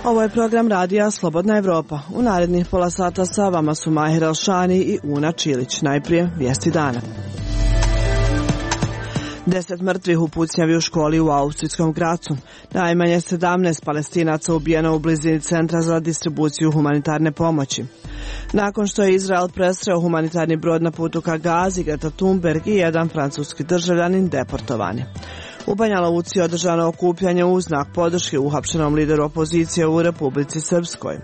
Ovo je program radija Slobodna Evropa. U narednih pola sata sa vama su Mahir Alšani i Una Čilić. Najprije vijesti dana. 10 mrtvih u pucnjavi u školi u austrijskom Gracu. Najmanje 17 Palestinaca ubijeno u blizini centra za distribuciju humanitarne pomoći. Nakon što je Izrael presreo humanitarni brod na putu ka Gazi, Greta Thunberg i jedan francuski državljanin deportovani. U Banja Luci je održano okupljanje u znak podrške uhapšenom lideru opozicije u Republici Srpskoj.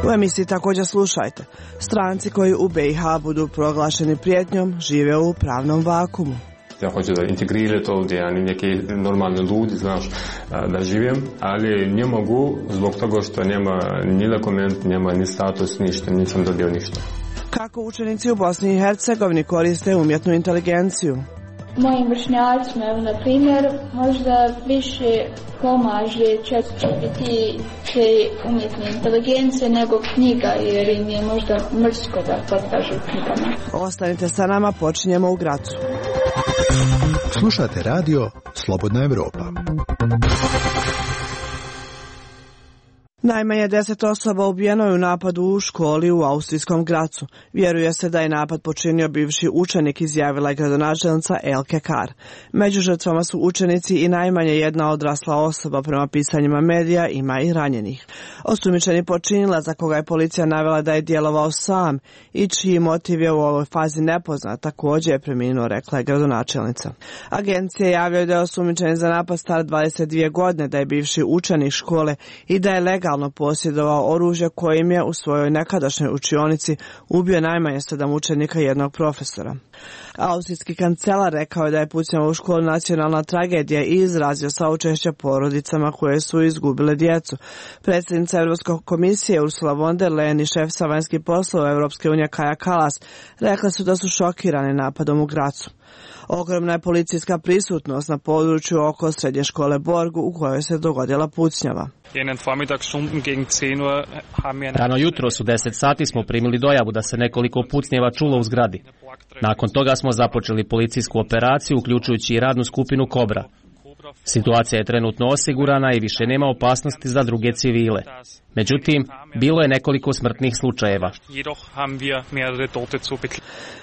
U emisiji također slušajte. Stranci koji u BiH budu proglašeni prijetnjom žive u pravnom vakumu. Ja hoću da integrirati ovdje, a neki normalni ljudi, znaš, da živim, ali ne mogu zbog toga što nema ni dokument, nema ni status, ništa, nisam dobio ništa. Kako učenici u Bosni i Hercegovini koriste umjetnu inteligenciju? Mojim vršnjacima, na primjer, možda više pomaže ChatGPT te umjetne inteligencije nego knjiga, jer im je možda mrsko da potkažu knjigama. Ostanite sa nama, počinjemo u Gracu. Slušate radio Slobodna Evropa. Najmanje 10 osoba ubijeno je u napadu u školi u austrijskom Gracu. Vjeruje se da je napad počinio bivši učenik, izjavila je gradonačelnica Elke Kar. Među žrtvama su učenici i najmanje jedna odrasla osoba, prema pisanjima medija ima i ranjenih. Osumnjičeni počinilac, za koga je policija navela da je djelovao sam i čiji motiv je u ovoj fazi nepoznat, također je preminuo, rekla je gradonačelnica. Agencije javljaju da je osumnjičeni za napad star 22 godine, da je bivši učenik škole i da je legalno posjedovao oružje kojim je u svojoj nekadašnjoj učionici ubio najmanje 7 učenika i jednog profesora. Austrijski kancelar rekao je da je pucnjava u školu nacionalna tragedija i izrazio saučešće porodicama koje su izgubile djecu. Predsjednica Europske komisije Ursula von der Leyen i šef sa vanjskih poslova Europske unije Kaja Kallas rekla su da su šokirani napadom u Gracu. Ogromna je policijska prisutnost na području oko srednje škole Borgu u kojoj se dogodila pucnjava. Rano jutro su 10 sati smo primili dojavu da se nekoliko pucnjeva čulo u zgradi. Nakon toga smo započeli policijsku operaciju, uključujući i radnu skupinu Kobra. Situacija je trenutno osigurana i više nema opasnosti za druge civile. Međutim, bilo je nekoliko smrtnih slučajeva.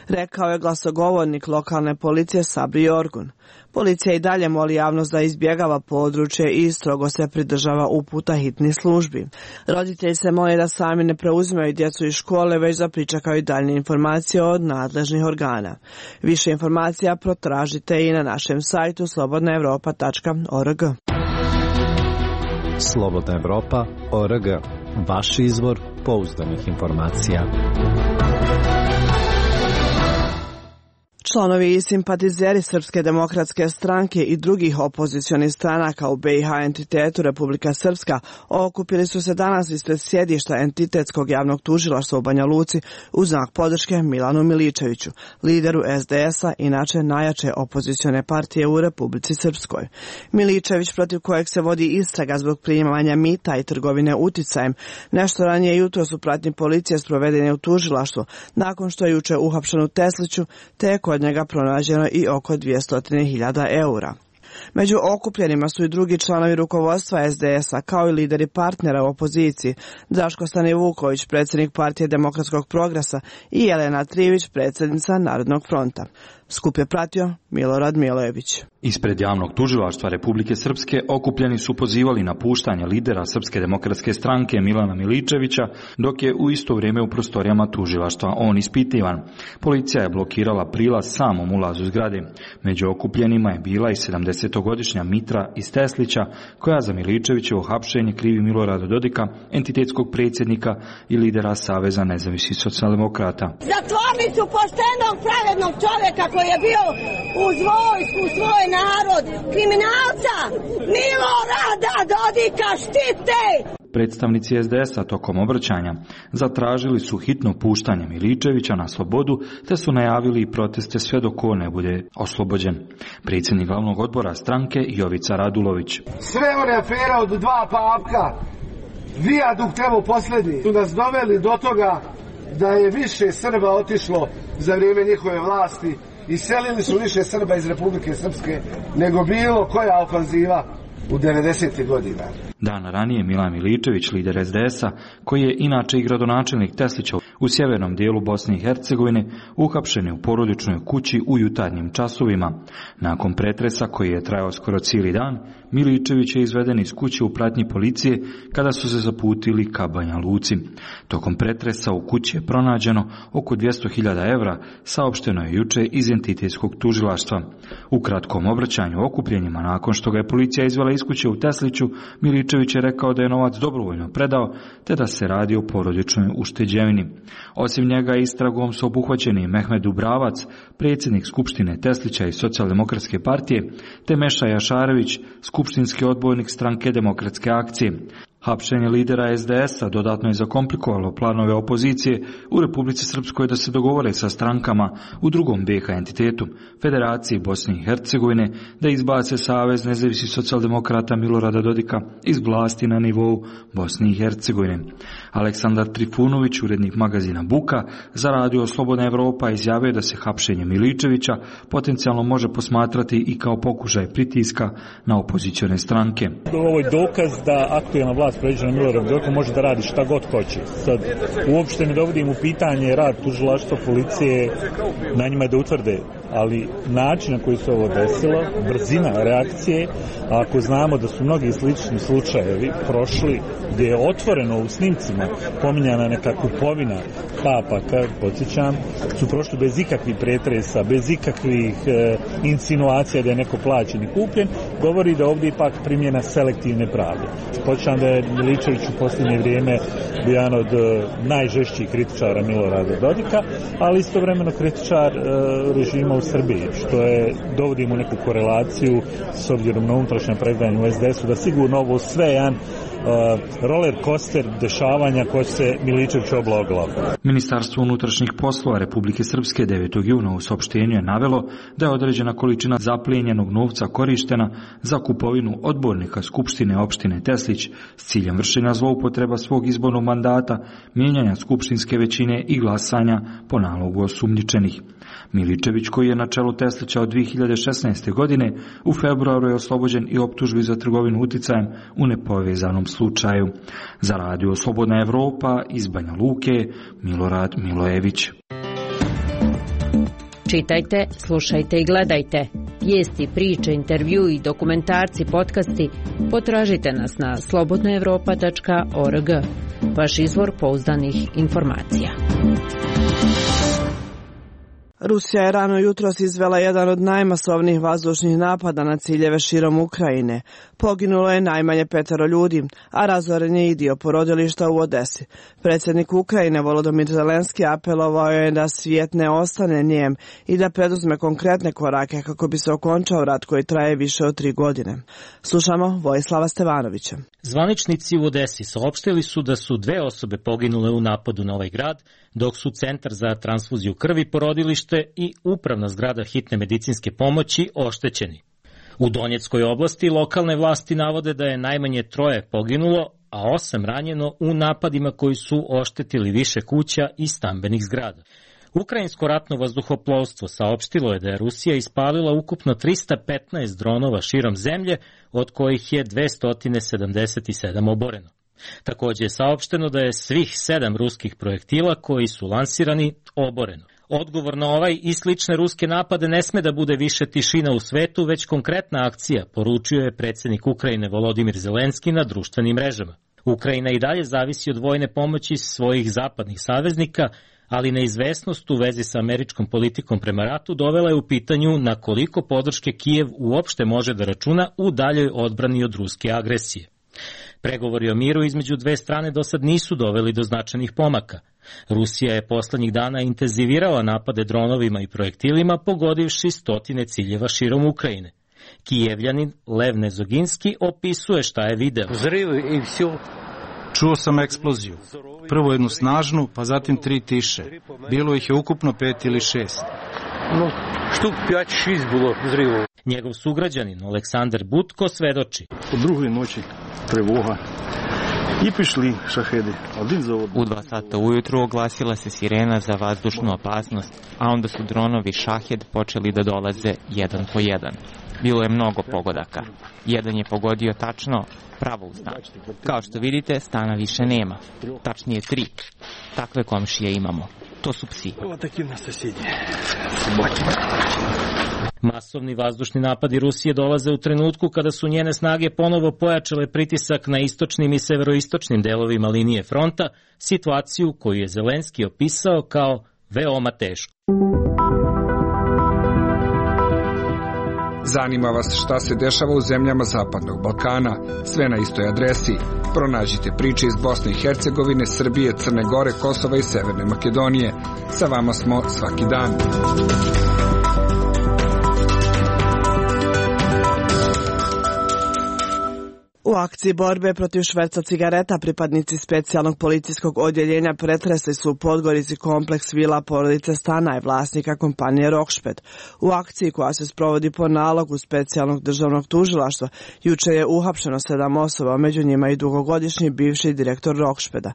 Rekao je glasogovornik lokalne policije Sabri Jorgun. Policija i dalje moli javnost da izbjegava područje i strogo se pridržava uputa hitnih službi. Roditelji se mole da sami ne preuzimaju djecu iz škole, već da pričekaju daljnje informacije od nadležnih organa. Više informacija protražite i na našem sajtu slobodnaevropa.org. Slobodnaevropa.org. Vaš izvor pouzdanih informacija. Članovi i simpatizeri Srpske demokratske stranke i drugih opozicionih stranaka u BiH entitetu Republika Srpska okupili su se danas ispred sjedišta entitetskog javnog tužilaštva u Banja Luci u znak podrške Milanu Miličeviću, lideru SDS-a, inače najjače opozicione partije u Republici Srpskoj. Miličević, protiv kojeg se vodi istraga zbog primanja mita i trgovine uticajem, nešto ranije jutros u pratnji policije sproveden je u tužilaštvo, nakon što je juče uhapšen u Tesliću, te od njega pronađeno i oko 200.000 eura. Među okupljenima su i drugi članovi rukovodstva SDS-a, kao i lideri partnera u opoziciji, Draško Stanivuković, predsjednik partije Demokratskog progresa, i Jelena Trivić, predsjednica Narodnog fronta. Skup je pratio Milorad Milojević. Ispred javnog tužilaštva Republike Srpske okupljeni su pozivali na puštanje lidera Srpske demokratske stranke Milana Miličevića, dok je u isto vrijeme u prostorijama tužilaštva on ispitivan. Policija je blokirala prilaz samom ulazu zgrade. Među okupljenima je bila i 70-godišnja Mitra iz Teslića, koja za Miličevićevo hapšenje krivi Milorada Dodika, entitetskog predsjednika i lidera Saveza nezavisnih socijaldemokrata. Za tvornicu poštenog, pravednog čovjeka koji je bio uz vojsku, svoj narod, kriminalca, Milorada Dodika štite! Predstavnici SDS-a tokom obraćanja zatražili su hitno puštanje Miličevića na slobodu, te su najavili i proteste sve dok on ne bude oslobođen. Predsjednik glavnog odbora stranke Jovica Radulović. Sve one afere od 2 papka, vijadukt evo posljednji, su nas doveli do toga da je više Srba otišlo za vrijeme njihove vlasti iselili su više Srba iz Republike Srpske nego bilo koja ofanziva u 90. godina. Dana ranije Milan Miličević, lider SDS-a, koji je inače i gradonačelnik Teslića u sjevernom dijelu Bosne i Hercegovine, uhapšen je u porodičnoj kući u jutarnjim časovima. Nakon pretresa koji je trajao skoro cijeli dan, Miličević je izveden iz kuće u pratnji policije kada su se zaputili ka Banja Luci. Tokom pretresa u kući je pronađeno oko 200.000 evra, saopšteno je juče iz entitetskog tužilaštva. U kratkom obraćanju okupljenjima nakon što ga je policija izvela iz kuće u Tesliću, Miličević je rekao da je novac dobrovoljno predao, te da se radi o porodičnoj ušteđevini. Osim njega istragom su obuhvaćeni Mehmed Dubravac, predsjednik Skupštine Teslića i Socijaldemokratske partije, te Meša Jašarević, skupštinski odbojnik Stranke demokratske akcije. Hapšenje lidera SDS-a dodatno je zakomplikovalo planove opozicije u Republici Srpskoj da se dogovore sa strankama u drugom BiH entitetu, Federaciji Bosne i Hercegovine, da izbace Savez nezavisnih socijaldemokrata Milorada Dodika iz vlasti na nivou Bosne i Hercegovine. Aleksandar Trifunović, urednik magazina Buka, za radio Slobodna Evropa izjavio da se hapšenje Miličevića potencijalno može posmatrati i kao pokušaj pritiska na opozicione stranke. Ovo je dokaz da aktuelna vlast pređena Milorad Dodik može da radi šta god hoće. Sad, uopšte ne dovodim u pitanje rad tužilaštva, policije, na njima je da utvrde, ali način na koji se ovo desilo, brzina reakcije, a ako znamo da su mnogi slični slučajevi prošli, gdje je otvoreno u snimcima pominjana neka kupovina papaka, podsjećam, su prošli bez ikakvih pretresa, bez ikakvih insinuacija da je neko plaćen i kupljen, govori da ovdje ipak primjena selektivne pravde. Podsjećam da je Miličević u posljednje vrijeme bio jedan od najžešćih kritičara Milorada Dodika, ali istovremeno kritičar režima u Srbiji, što je dovodimo u neku korelaciju s obzirom na unutrašnje predanje u SDS-u, da sigurno ovo sve jedan roller coaster dešavanja koje se Miličević obla o glavu. Ministarstvo unutrašnjih poslova Republike Srpske 9. juna u saopštenju je navelo da je određena količina zaplijenjenog novca korištena za kupovinu odbornika Skupštine opštine Teslić s ciljem vršenja zloupotreba svog izbornog mandata, mijenjanja skupštinske većine i glasanja po nalogu osumnjičenih. Miličević, koji je na čelu Teslića od 2016. godine, u februaru je oslobođen i optužbi za trgovinu uticajem u nepovezanom slučaju. Za radio Slobodna Evropa iz Banja Luke, Milorad Milojević. Čitajte, slušajte i gledajte. Vijesti, priče, intervju i dokumentarci, podcasti potražite nas na slobodnaevropa.org. Vaš izvor pouzdanih informacija. Rusija je rano jutros izvela jedan od najmasovnijih vazdušnih napada na ciljeve širom Ukrajine. Poginulo je najmanje 5 ljudi, a razoren je i dio porodilišta u Odesi. Predsjednik Ukrajine Volodymyr Zelenski apelovao je da svijet ne ostane nijem i da preduzme konkretne korake kako bi se okončao rat koji traje više od 3 godine. Slušamo Vojislava Stevanovića. Zvaničnici u Odesi saopštili su da su 2 osobe poginule u napadu na ovaj grad, dok su Centar za transfuziju krvi, porodilište i upravna zgrada hitne medicinske pomoći oštećeni. U Donjeckoj oblasti lokalne vlasti navode da je najmanje 3 poginulo, a 8 ranjeno u napadima koji su oštetili više kuća i stambenih zgrada. Ukrajinsko ratno vazduhoplovstvo saopštilo je da je Rusija ispalila ukupno 315 dronova širom zemlje, od kojih je 277 oboreno. Također je saopšteno da je svih 7 ruskih projektila koji su lansirani oboreno. Odgovor na ovaj i slične ruske napade ne sme da bude više tišina u svetu, već konkretna akcija, poručio je predsjednik Ukrajine Volodymyr Zelenski na društvenim mrežama. Ukrajina i dalje zavisi od vojne pomoći svojih zapadnih saveznika, ali neizvesnost u vezi sa američkom politikom prema ratu dovela je u pitanju na koliko podrške Kijev uopšte može da računa u daljoj odbrani od ruske agresije. Pregovori o miru između 2 strane do sad nisu doveli do značajnih pomaka. Rusija je poslednjih dana intenzivirala napade dronovima i projektilima, pogodivši 100 ciljeva širom Ukrajine. Kijevljanin Lev Nezoginski opisuje šta je video. Čuo sam eksploziju. Prvo jednu snažnu, pa zatim 3 tiše. Bilo ih je ukupno 5 ili 6. Njegov sugrađanin Aleksandar Butko svedoči. U drugoj noći trevoga. U 2 sata ujutru oglasila se sirena za vazdušnu opasnost, a onda su dronovi Šahed počeli da dolaze jedan po jedan. Bilo je mnogo pogodaka. Jedan je pogodio tačno pravo u stan. Kao što vidite, stana više nema. Tačnije 3. Takve komšije imamo. To su psi. Masovni vazdušni napadi Rusije dolaze u trenutku kada su njene snage ponovo pojačale pritisak na istočnim i severoistočnim delovima linije fronta, situaciju koju je Zelenski opisao kao veoma tešku. Zanima vas šta se dešava u zemljama Zapadnog Balkana? Sve na istoj adresi. Pronađite priče iz Bosne i Hercegovine, Srbije, Crne Gore, Kosova i Severne Makedonije. Sa vama smo svaki dan. U akciji borbe protiv šverca cigareta pripadnici specijalnog policijskog odjeljenja pretresli su u Podgorici kompleks vila porodice Stanaj, vlasnika kompanije Rokšped. U akciji koja se sprovodi po nalogu specijalnog državnog tužilaštva juče je uhapšeno 7 osoba, među njima i dugogodišnji bivši direktor Rokšpeda.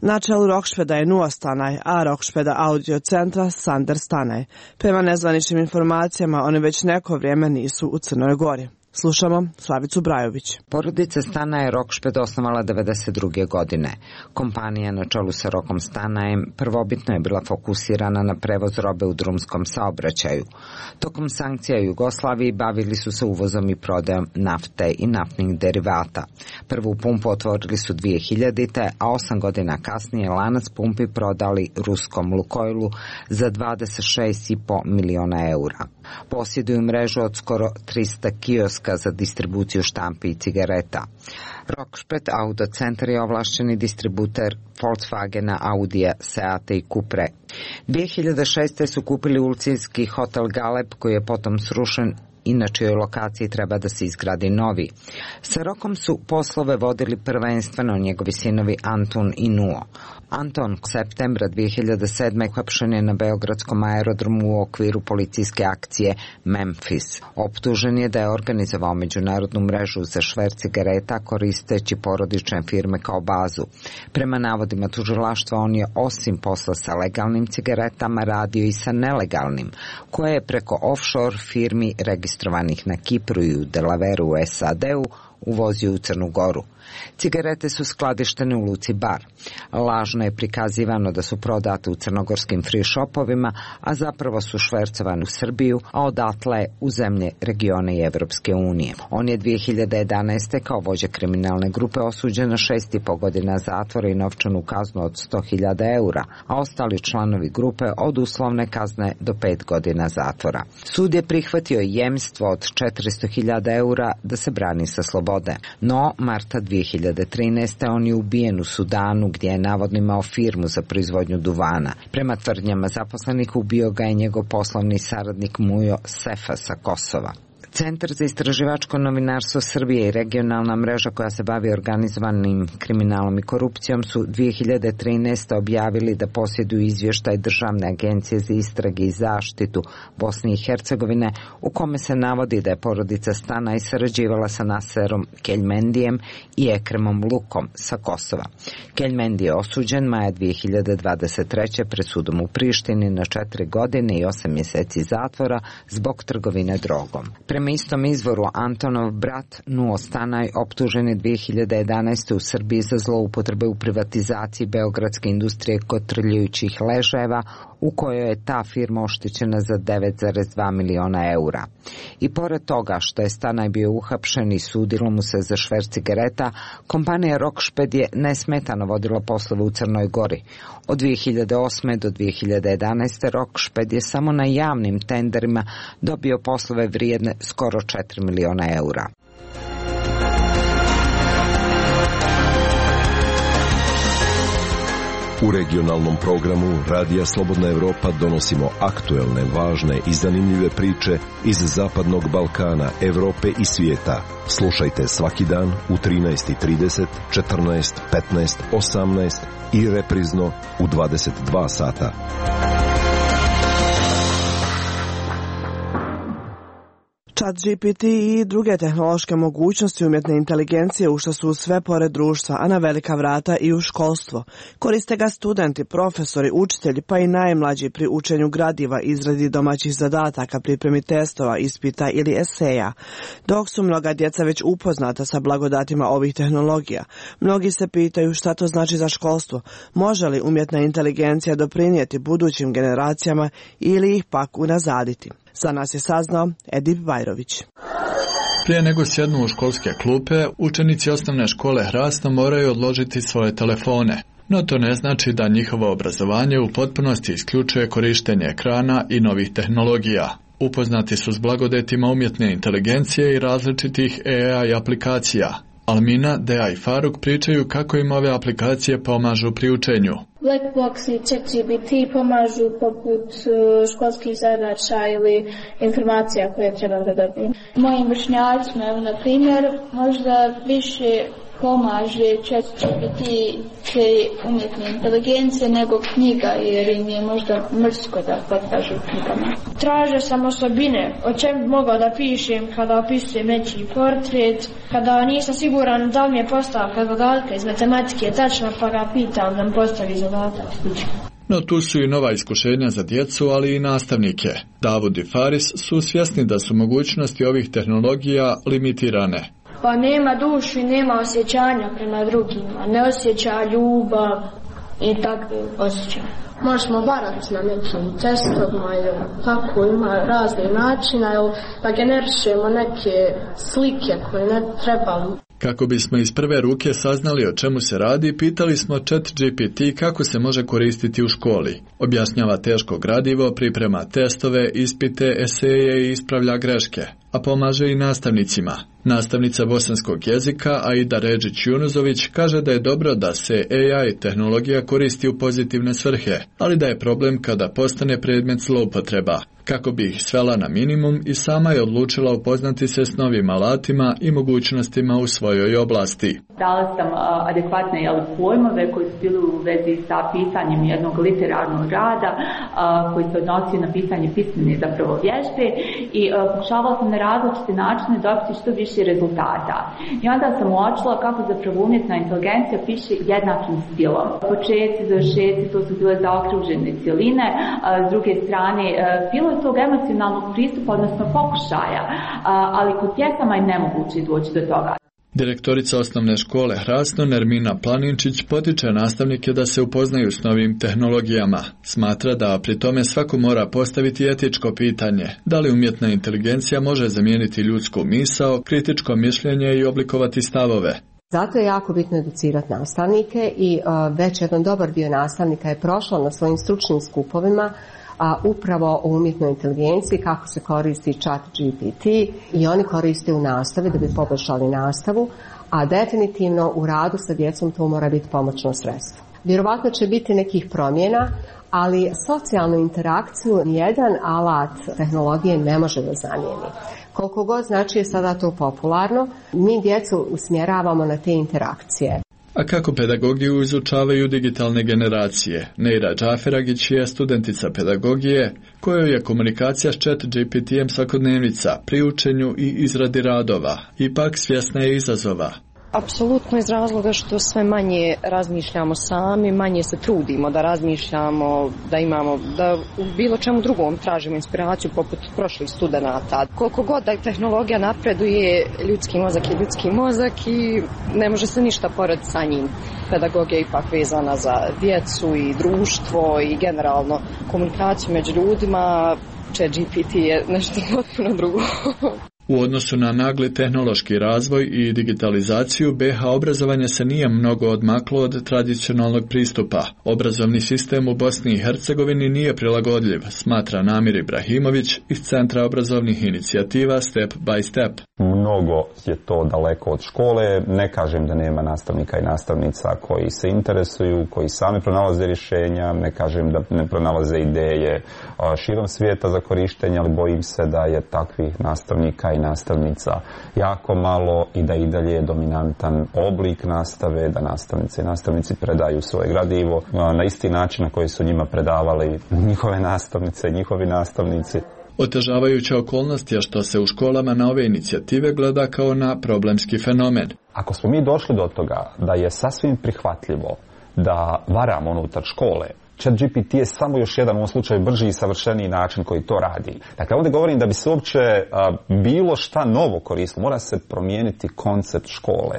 Na čelu Rokšpeda je Nua Stanaj, a Rokšpeda audio centra Sander Stanaj. Prema nezvaničnim informacijama, oni već neko vrijeme nisu u Crnoj Gori. Slušamo Slavicu Brajović. Porodica Stanaje Rokšped osnovala 1992. godine. Kompanija na čelu sa Rokom Stanajem prvobitno je bila fokusirana na prevoz robe u drumskom saobraćaju. Tokom sankcija u Jugoslaviji bavili su se uvozom i prodajom nafte i naftnih derivata. Prvu pumpu otvorili su 2000. a 8 godina kasnije lanac pumpi prodali ruskom Lukojlu za 26,5 miliona eura. Posjeduju mrežu od skoro 300 kioska za distribuciju štampi i cigareta. Rokšped Auto Centar je ovlašćeni distributer Volkswagena, Audija, Seata i Cupre. 2006. su kupili ulcinski hotel Galeb koji je potom srušen i na čijoj lokaciji treba da se izgradi novi. Sa Rokom su poslove vodili prvenstveno njegovi sinovi Antun i Nuo. Anton septembra 2007. uhapšen je na beogradskom aerodromu u okviru policijske akcije Memphis. Optužen je da je organizovao međunarodnu mrežu za šverc cigareta koristeći porodične firme kao bazu. Prema navodima tužilaštva, on je osim posla sa legalnim cigaretama radio i sa nelegalnim, koje je preko offshore firmi registrovanih na Kipru i u Delavereu u SAD-u uvozio u Crnu Goru. Cigarete su skladištene u luci Bar. Lažno je prikazivano da su prodate u crnogorskim free shopovima, a zapravo su švercovane u Srbiju, a odatle u zemlje regione i Evropske unije. On je 2011. kao vođa kriminalne grupe osuđen na 6,5 godina zatvora i novčanu kaznu od 100.000 eura, a ostali članovi grupe od uslovne kazne do 5 godina zatvora. Sud je prihvatio jemstvo od 400.000 eura da se brani sa slobode. No, marta 2013. on je ubijen u Sudanu gdje je navodno imao firmu za proizvodnju duvana. Prema tvrdnjama zaposlenih ubio ga je njegov poslovni saradnik Mujo Sefa sa Kosova. Centar za istraživačko novinarstvo Srbije i regionalna mreža koja se bavi organizovanim kriminalom i korupcijom su 2013. objavili da posjeduju izvještaj Državne agencije za istrage i zaštitu Bosne i Hercegovine u kome se navodi da je porodica Stanaj sarađivala sa Naserom Keljmendijem i Ekremom Lukom sa Kosova. Keljmendi je osuđen maja 2023. pred sudom u Prištini na 4 godine i 8 mjeseci zatvora zbog trgovine drogom. Prema istom izvoru, Antonov brat Nuo Stanaj optužen je 2011. u Srbiji za zloupotrebe u privatizaciji beogradske industrije kotrljajućih ležajeva, u kojoj je ta firma oštećena za 9,2 miliona eura. I pored toga što je Stanaj bio uhapšen i sudilo mu se za šverc cigareta, kompanija Rokšped je nesmetano vodila poslove u Crnoj Gori. Od 2008. do 2011. Rokšped je samo na javnim tenderima dobio poslove vrijedne skoro 4 miliona eura. U regionalnom programu Radija Slobodna Evropa donosimo aktuelne, važne i zanimljive priče iz Zapadnog Balkana, Evrope i svijeta. Slušajte svaki dan u 13:30, 14, 15, 18 i reprizno u 22 sata. ChatGPT i druge tehnološke mogućnosti umjetne inteligencije ušle su sve pored društva, a na velika vrata i u školstvo. Koriste ga studenti, profesori, učitelji pa i najmlađi pri učenju gradiva, izradi domaćih zadataka, pripremi testova, ispita ili eseja. Dok su mnoga djeca već upoznata sa blagodatima ovih tehnologija, mnogi se pitaju šta to znači za školstvo, može li umjetna inteligencija doprinijeti budućim generacijama ili ih pak unazaditi. Za nas je saznao Edip Bajrović. Prije nego sjednu u školske klupe, učenici osnovne škole Hrasno moraju odložiti svoje telefone. No to ne znači da njihovo obrazovanje u potpunosti isključuje korištenje ekrana i novih tehnologija. Upoznati su s blagodatima umjetne inteligencije i različitih AI aplikacija. Almina, Dea i Faruk pričaju kako im ove aplikacije pomažu pri učenju. Blackbox i ChatGPT pomažu poput školskih zadaća ili informacija koje treba da dobijem. Mojim vršnjacima, na primjer, možda više pomaže ChatGPT umjetne inteligencije nego knjiga, jer im je možda mrsko da potkažu knjigama. Tražio sam osobine, o čem bi mogao da pišem kada opisujem nečiji portret, kada nisam siguran da li mi je postavka zadatka iz matematike tačna, pa ga pitam da mi postavi zadatak. No tu su i nova iskušenja za djecu, ali i nastavnike. Davud i Faris su svjesni da su mogućnosti ovih tehnologija limitirane. Pa nema dušu i nema osjećanja prema drugima, ne osjeća ljubav i takve osjećaje. Možemo barati na nekim testovima ili tako, ima razne načina, da generišemo neke slike koje ne trebali. Kako bismo iz prve ruke saznali o čemu se radi, pitali smo ChatGPT kako se može koristiti u školi. Objašnjava teško gradivo, priprema testove, ispite, eseje i ispravlja greške, a pomaže i nastavnicima. Nastavnica bosanskog jezika Aida Ređić-Junuzović kaže da je dobro da se AI tehnologija koristi u pozitivne svrhe, ali da je problem kada postane predmet zloupotreba. Kako bi ih svela na minimum i sama je odlučila upoznati se s novim alatima i mogućnostima u svojoj oblasti. Dala sam adekvatne pojmove koji su bili u vezi sa pisanjem jednog literarnog rada koji se odnosi na pisanje pismene zapravo vježbe i pokušavala sam na različite načine dobiti što više rezultata. I onda sam uočila kako zapravo umjetna inteligencija piše jednakim stilom. Početci, završetci, to su bile zaokružene cjeline, s druge strane bilo je tog emocionalnog pristupa, odnosno pokušaja, ali kod pjesama je nemoguće doći do toga. Direktorica osnovne škole Hrasno Nermina Planinčić potiče nastavnike da se upoznaju s novim tehnologijama. Smatra da pri tome svako mora postaviti etičko pitanje, da li umjetna inteligencija može zamijeniti ljudsku misao, kritičko mišljenje i oblikovati stavove. Zato je jako bitno educirati nastavnike i već jedan dobar dio nastavnika je prošao na svojim stručnim skupovima upravo o umjetnoj inteligenciji, kako se koristi ChatGPT i oni koriste u nastavi da bi poboljšali nastavu, a definitivno u radu sa djecom to mora biti pomoćno sredstvo. Vjerovatno će biti nekih promjena, ali socijalnu interakciju nijedan alat tehnologije ne može da zamijeni. Koliko god znači je sada to popularno, mi djecu usmjeravamo na te interakcije. A kako pedagogiju izučavaju digitalne generacije? Neira Džaferagić je studentica pedagogije, kojoj je komunikacija s ChatGPT-em svakodnevnica pri učenju i izradi radova. Ipak svjesna je izazova. Apsolutno iz razloga što sve manje razmišljamo sami, manje se trudimo da razmišljamo, da u bilo čemu drugom tražimo inspiraciju poput prošlih studenata. Koliko god da tehnologija napreduje, ljudski mozak je ljudski mozak i ne može se ništa porediti sa njim. Pedagogija je ipak vezana za djecu i društvo i generalno komunikaciju među ljudima. ChatGPT je nešto potpuno drugo. U odnosu na nagli tehnološki razvoj i digitalizaciju, BiH obrazovanje se nije mnogo odmaklo od tradicionalnog pristupa. Obrazovni sistem u Bosni i Hercegovini nije prilagodljiv, smatra Namir Ibrahimović iz Centra obrazovnih inicijativa Step by Step. Mnogo je to daleko od škole, ne kažem da nema nastavnika i nastavnica koji se interesuju, koji sami pronalaze rješenja, ne kažem da ne pronalaze ideje širom svijeta za korištenje, ali bojim se da je takvih nastavnika i nastavnica jako malo i da i dalje je dominantan oblik nastave, da nastavnice i nastavnici predaju svoje gradivo na isti način na koji su njima predavali njihove nastavnice, njihovi nastavnici. Otežavajuća okolnost je što se u školama na ove inicijative gleda kao na problemski fenomen. Ako smo mi došli do toga da je sasvim prihvatljivo da varamo unutar škole, ChatGPT je samo još jedan u ovom slučaju brži i savršeniji način koji to radi. Dakle, ovdje govorim da bi se uopće bilo šta novo koristilo, mora se promijeniti koncept škole.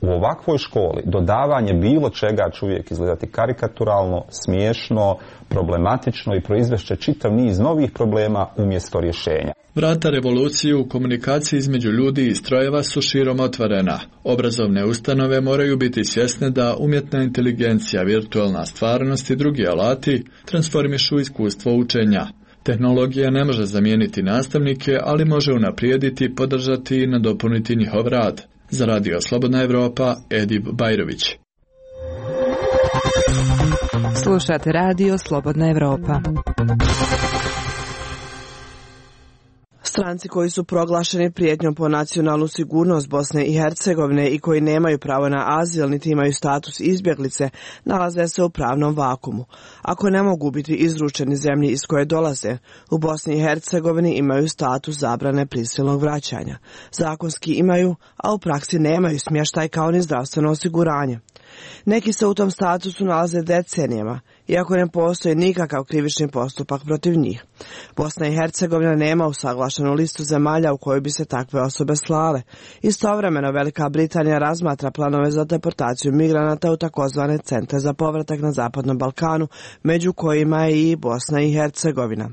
U ovakvoj školi dodavanje bilo čega će uvijek izgledati karikaturalno, smiješno, problematično i proizvešće čitav niz novih problema umjesto rješenja. Vrata revolucije u komunikaciji između ljudi i strojeva su širom otvorena. Obrazovne ustanove moraju biti svjesne da umjetna inteligencija, virtualna stvarnost i drugi alati transformišu iskustvo učenja. Tehnologija ne može zamijeniti nastavnike, ali može unaprijediti, podržati i nadopuniti njihov rad. Za Radio Slobodna Evropa, Edip Bajrović. Slušate Radio Slobodna Evropa. Stranci koji su proglašeni prijetnjom po nacionalnu sigurnost Bosne i Hercegovine i koji nemaju pravo na azil niti imaju status izbjeglice, nalaze se u pravnom vakumu. Ako ne mogu biti izručeni zemlji iz koje dolaze, u Bosni i Hercegovini imaju status zabrane prisilnog vraćanja. Zakonski imaju, a u praksi nemaju smještaj kao ni zdravstveno osiguranje. Neki se u tom statusu nalaze decenijama, iako ne postoji nikakav krivični postupak protiv njih. Bosna i Hercegovina nema usaglašenu listu zemalja u kojoj bi se takve osobe slale. Istovremeno Velika Britanija razmatra planove za deportaciju migranata u takozvane centre za povratak na Zapadnom Balkanu, među kojima je i Bosna i Hercegovina.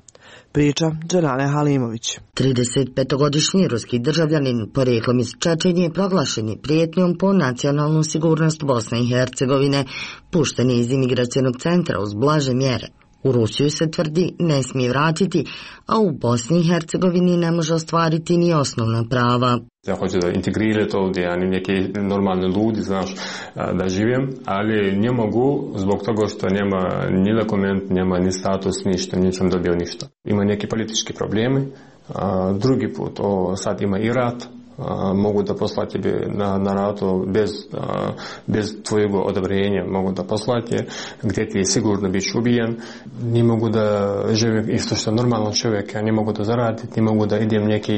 Priča Džanane Halimović. 35-godišnji ruski državljanin porijeklom iz Čečenije proglašen je prijetnjom po nacionalnu sigurnost Bosne i Hercegovine, pušten je iz imigracionog centra uz blaže mjere. U Rusiju se tvrdi ne smije vratiti, a u Bosni i Hercegovini ne može ostvariti ni osnovna prava. Ja hoću da integrirati ovdje, ja neki normalni ljudi, znaš, da živim, ali ne mogu zbog toga što nema ni dokument, nema ni status, ništa, nisam dobio ništa. Ima neki politički problemi, drugi put, sad ima i rat, mogu da poslati na ratu bez tvojeg odobrenja, mogu da poslati gdje ti je sigurno biš ubijen, ne mogu da živim isto što normalno čovjek, ja ne mogu da zaradim, ne mogu da idem neki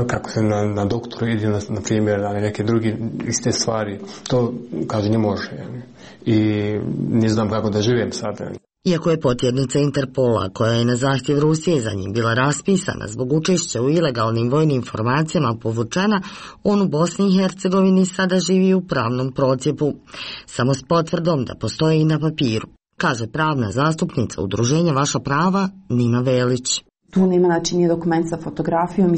kako se na doktoru ide, na primjer, na neke druge iste stvari, to kaže ne može. I ne znam kako da živim sada. Iako je potjernica Interpola, koja je na zahtjev Rusije za njim bila raspisana zbog učešća u ilegalnim vojnim formacijama povučena, on u Bosni i Hercegovini sada živi u pravnom procjepu, samo s potvrdom da postoji i na papiru, kaže pravna zastupnica udruženja Vaša prava Nina Velić. Tu nema ni dokument sa fotografijom i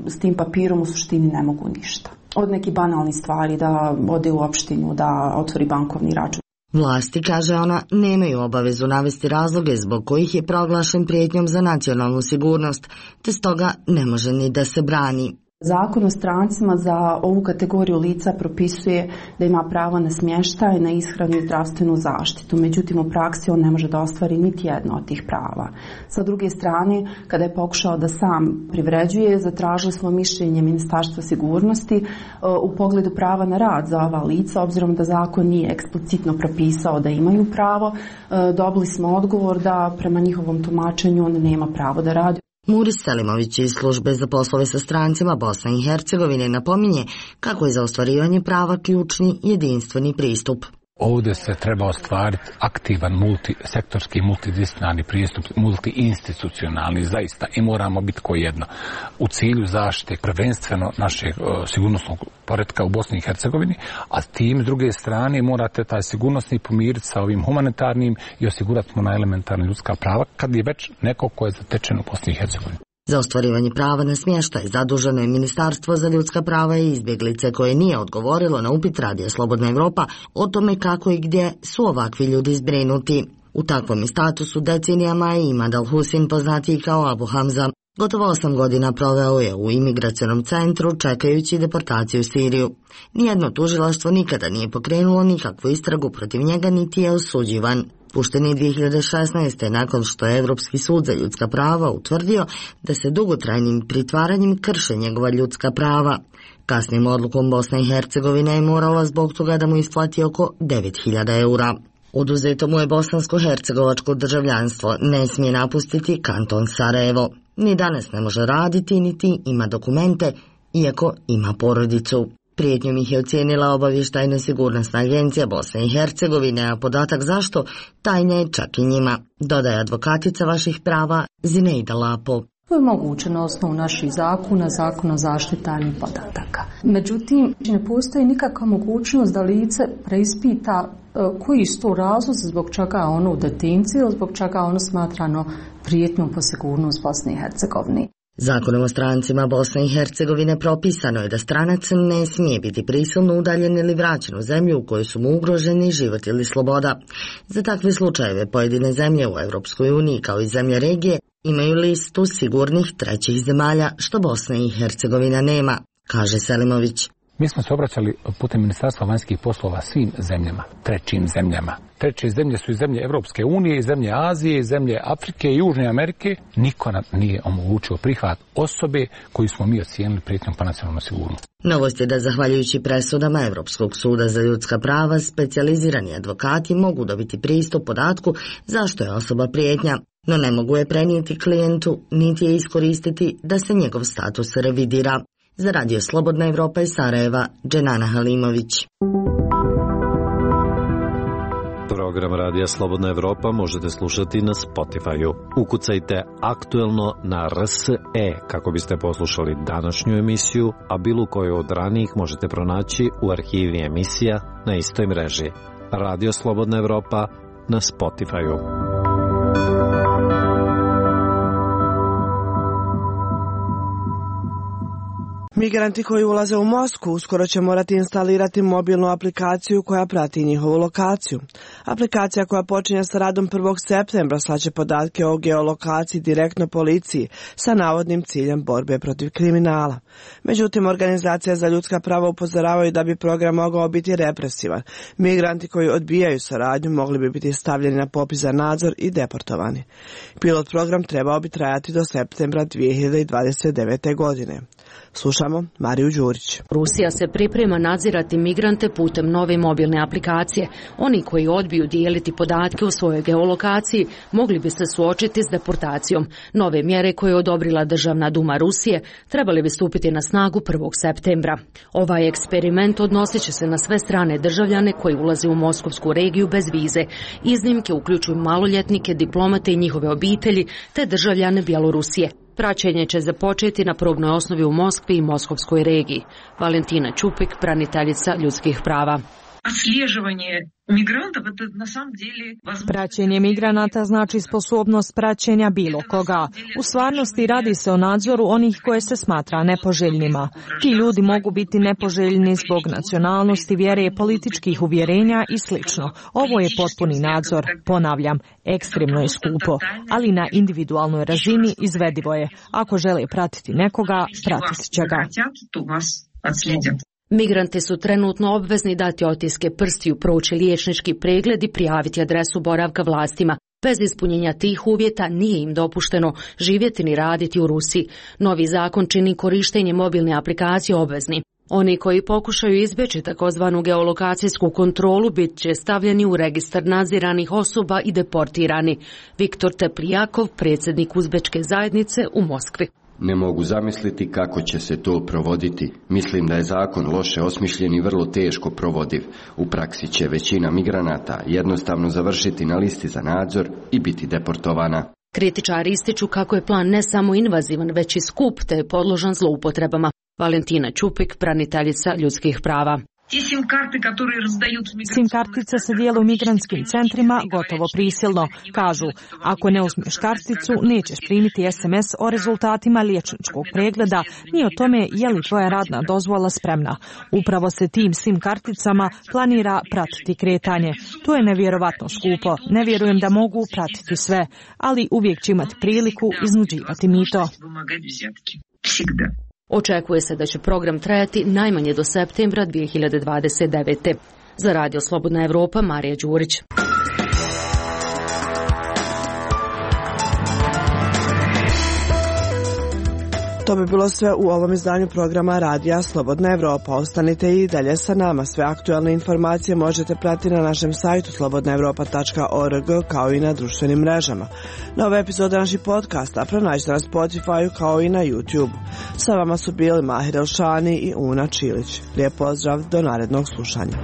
s tim papirom u suštini ne mogu ništa. Od nekih banalnih stvari, da ode u opštinu, da otvori bankovni račun. Vlasti, kaže ona, nemaju obavezu navesti razloge zbog kojih je proglašen prijetnjom za nacionalnu sigurnost, te stoga ne može ni da se brani. Zakon o strancima za ovu kategoriju lica propisuje da ima pravo na smještaj, na ishranu i zdravstvenu zaštitu. Međutim, u praksi on ne može da ostvari niti jedno od tih prava. Sa druge strane, kada je pokušao da sam privređuje, zatražili smo mišljenje Ministarstva sigurnosti u pogledu prava na rad za ova lica, obzirom da zakon nije eksplicitno propisao da imaju pravo. Dobili smo odgovor da prema njihovom tumačenju on nema pravo da radi. Muris Selimović iz službe za poslove sa strancima Bosne i Hercegovine napominje kako je za ostvarivanje prava ključni jedinstveni pristup. Ovdje se treba ostvariti aktivan multisektorski, multidisciplinarni pristup, multiinstitucionalni zaista i moramo biti ko jedno. U cilju zaštite prvenstveno našeg sigurnosnog poretka u Bosni i Hercegovini, a tim s druge strane morate taj sigurnosni pomiriti sa ovim humanitarnim i osigurati mu na elementarna ljudska prava kad je već neko ko je zatečen u Bosni i Hercegovini. Za ostvarivanje prava na smještaj zaduženo je Ministarstvo za ljudska prava i izbjeglice koje nije odgovorilo na upit Radija Slobodna Evropa o tome kako i gdje su ovakvi ljudi zbrinuti. U takvom statusu decenijama je Imad Al-Husin, poznatiji kao Abu Hamza. Gotovo 8 godina proveo je u imigracionom centru čekajući deportaciju u Siriju. Nijedno tužilaštvo nikada nije pokrenulo nikakvu istragu protiv njega niti je osuđivan. Pušten je 2016. nakon što je Europski sud za ljudska prava utvrdio da se dugotrajnim pritvaranjem krše njegova ljudska prava. Kasnijom odlukom Bosna i Hercegovina je morala zbog toga da mu isplati oko 9.000 eura. Oduzeto mu je bosansko-hercegovačko državljanstvo, ne smije napustiti kanton Sarajevo. Ni danas ne može raditi, niti ima dokumente, iako ima porodicu. Prijetnjom ih je ocijenila obavještajna sigurnosna agencija Bosne i Hercegovine, a podatak zašto tajna je čak i njima, dodaje advokatica vaših prava Zineida Lapo. To je moguće na osnovu naših zakona, zakona o zaštiti tajnih podataka. Međutim, ne postoji nikakva mogućnost da lice preispita koji su to razlozi zbog čega je ono u detenciji ili zbog čega je ono smatrano prijetnjom po sigurnost Bosne i Hercegovine. Zakonom o strancima Bosne i Hercegovine propisano je da stranac ne smije biti prisilno udaljen ili vraćen u zemlju u kojoj su mu ugroženi život ili sloboda. Za takve slučajeve pojedine zemlje u Europskoj uniji kao i zemlje regije imaju listu sigurnih trećih zemalja, što Bosna i Hercegovina nema, kaže Selimović. Mi smo se obraćali putem Ministarstva vanjskih poslova svim zemljama, trećim zemljama. Treće zemlje su i zemlje Evropske unije, i zemlje Azije, i zemlje Afrike i Južne Amerike. Niko nam nije omogućio prihvat osobe koju smo mi ocijenili prijetnjom po nacionalnu sigurnost. Novost je da zahvaljujući presudama Europskog suda za ljudska prava, specijalizirani advokati mogu dobiti pristup podatku zašto je osoba prijetnja, no ne mogu je prenijeti klijentu, niti je iskoristiti da se njegov status revidira. Za Radio Slobodna Evropa iz Sarajeva, Dženana Halimović. Program Radija Slobodna Evropa možete slušati na Spotify-u. Ukucajte aktuelno na RSE kako biste poslušali današnju emisiju, a bilo koju od ranijih možete pronaći u arhivi emisija na istoj mreži. Radio Slobodna Evropa na Spotify-u. Migranti koji ulaze u Moskvu uskoro će morati instalirati mobilnu aplikaciju koja prati njihovu lokaciju. Aplikacija koja počinje sa radom 1. septembra slaće podatke o geolokaciji direktno policiji sa navodnim ciljem borbe protiv kriminala. Međutim, organizacije za ljudska prava upozoravaju da bi program mogao biti represivan. Migranti koji odbijaju saradnju mogli bi biti stavljeni na popis za nadzor i deportovani. Pilot program trebao bi trajati do septembra 2029. godine. Slušamo Mariju Đurić. Rusija se priprema nadzirati migrante putem nove mobilne aplikacije. Oni koji odbiju dijeliti podatke o svojoj geolokaciji mogli bi se suočiti s deportacijom. Nove mjere koje je odobrila Državna duma Rusije trebali bi stupiti na snagu 1. septembra. Ovaj eksperiment odnosit će se na sve strane državljane koji ulaze u moskovsku regiju bez vize. Iznimke uključuju maloljetnike, diplomate i njihove obitelji te državljane Bjelorusije. Praćenje će započeti na probnoj osnovi u Moskvi i Moskovskoj regiji. Valentina Čupik, braniteljica ljudskih prava. Praćenje migranata znači sposobnost praćenja bilo koga. U stvarnosti radi se o nadzoru onih koje se smatra nepoželjnima. Ti ljudi mogu biti nepoželjni zbog nacionalnosti, vjere, političkih uvjerenja i sl. Ovo je potpuni nadzor. Ponavljam, ekstremno je skupo, ali na individualnoj razini izvedivo je. Ako žele pratiti nekoga, pratit će ga. Migranti su trenutno obvezni dati otiske prstiju, proći liječnički pregled i prijaviti adresu boravka vlastima. Bez ispunjenja tih uvjeta nije im dopušteno živjeti ni raditi u Rusiji. Novi zakon čini korištenje mobilne aplikacije obvezni. Oni koji pokušaju izbjeći takozvanu geolokacijsku kontrolu bit će stavljeni u registar nadziranih osoba i deportirani. Viktor Teplijakov, predsjednik uzbečke zajednice u Moskvi. Ne mogu zamisliti kako će se to provoditi. Mislim da je zakon loše osmišljen i vrlo teško provodiv. U praksi će većina migranata jednostavno završiti na listi za nadzor i biti deportovana. Kritičari ističu kako je plan ne samo invazivan, već i skup te je podložan zloupotrebama. Valentina Čupik, braniteljica ljudskih prava. SIM kartice se dijele u migrantskim centrima gotovo prisilno. Kažu, ako ne uzmeš karticu, nećeš primiti SMS o rezultatima liječničkog pregleda, ni o tome je li tvoja radna dozvola spremna. Upravo se tim SIM karticama planira pratiti kretanje. To je nevjerovatno skupo. Ne vjerujem da mogu pratiti sve, ali uvijek će imati priliku iznuđivati mito. Očekuje se da će program trajati najmanje do septembra 2029. Za Radio Slobodna Evropa, Marija Đurić. To bi bilo sve u ovom izdanju programa Radija Slobodna Evropa. Ostanite i dalje sa nama. Sve aktualne informacije možete pratiti na našem sajtu slobodnaevropa.org kao i na društvenim mrežama. Nove epizode naših podcasta pronađite na Spotify kao i na YouTube. Sa vama su bili Mahir Elšani i Una Čilić. Lijep pozdrav, do narednog slušanja.